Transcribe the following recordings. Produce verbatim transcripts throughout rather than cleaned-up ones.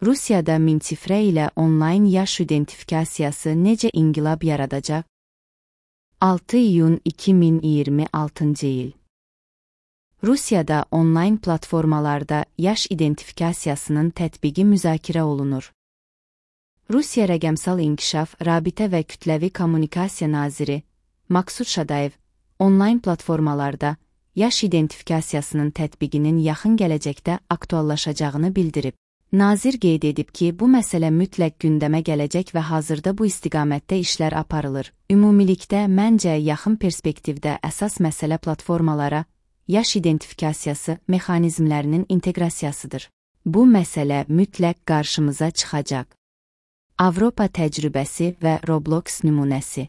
Rusiyada Minçifrə ilə onlayn yaş identifikasiyası necə inqilab yaradacaq? altı iyun iki min iyirmi altıncı il. Rusiyada onlayn platformalarda yaş identifikasiyasının tətbiqi müzakirə olunur. Rusiya Rəqəmsal İnkişaf, Rabitə və Kütləvi Kommunikasiya naziri Maksud Şadayev, onlayn platformalarda yaş identifikasiyasının tətbiqinin yaxın gələcəkdə aktuallaşacağını bildirib. Nazir qeyd edib ki, bu məsələ mütləq gündəmə gələcək və hazırda bu istiqamətdə işlər aparılır. Ümumilikdə, məncə, yaxın perspektivdə əsas məsələ platformalara yaş identifikasiyası mexanizmlərinin inteqrasiyasıdır. Bu məsələ mütləq qarşımıza çıxacaq. Avropa təcrübəsi və Roblox nümunəsi.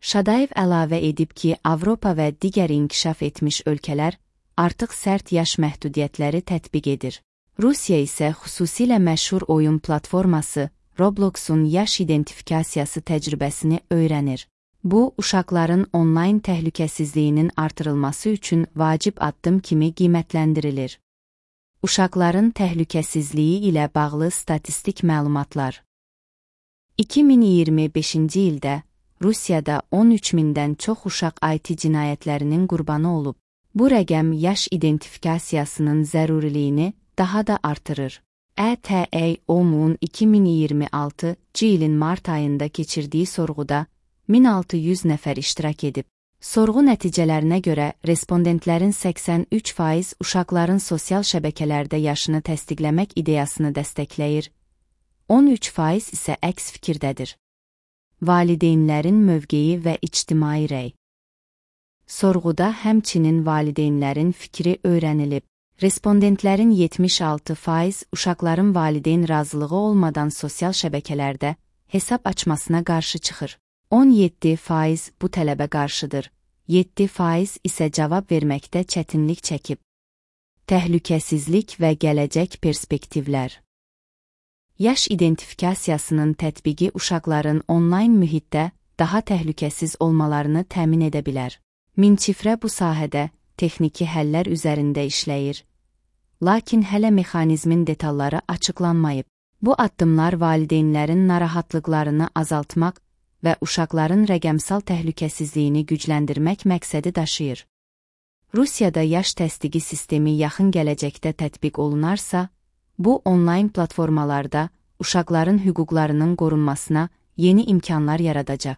Şadayev əlavə edib ki, Avropa və digər inkişaf etmiş ölkələr artıq sərt yaş məhdudiyyətləri tətbiq edir. Rusiya isə xüsusilə məşhur oyun platforması Roblox'un yaş identifikasiyası təcrübəsini öyrənir. Bu, uşaqların onlayn təhlükəsizliyinin artırılması üçün vacib addım kimi qiymətləndirilir. Uşaqların təhlükəsizliyi ilə bağlı statistik məlumatlar. iki min iyirmi beşinci ildə Rusiyada on üç mindən çox uşaq I T cinayətlərinin qurbanı olub. Bu rəqəm yaş identifikasiyasının zəruriliyini daha da artırır. E T A O M-un iki min iyirmi altıncı ilin mart ayında keçirdiyi sorğuda min altı yüz nəfər iştirak edib. Sorğu nəticələrinə görə respondentlərin səksən üç faiz uşaqların sosial şəbəkələrdə yaşını təsdiqləmək ideyasını dəstəkləyir, on üç faiz isə əks fikirdədir. Valideynlərin mövqeyi və ictimai rəy. Sorğuda həmçinin valideynlərin fikri öyrənilib. Respondentlərin yetmiş altı faiz uşaqların valideyn razılığı olmadan sosial şəbəkələrdə hesab açmasına qarşı çıxır. on yeddi faiz bu tələbə qarşıdır, yeddi faiz isə cavab verməkdə çətinlik çəkib. Təhlükəsizlik və gələcək perspektivlər. Yaş identifikasiyasının tətbiqi uşaqların onlayn mühitdə daha təhlükəsiz olmalarını təmin edə bilər. Minçifrə bu sahədə texniki həllər üzərində işləyir, lakin hələ mexanizmin detalları açıqlanmayıb. Bu addımlar valideynlərin narahatlıqlarını azaltmaq və uşaqların rəqəmsal təhlükəsizliyini gücləndirmək məqsədi daşıyır. Rusiyada yaş təsdiqi sistemi yaxın gələcəkdə tətbiq olunarsa, bu onlayn platformalarda uşaqların hüquqlarının qorunmasına yeni imkanlar yaradacaq.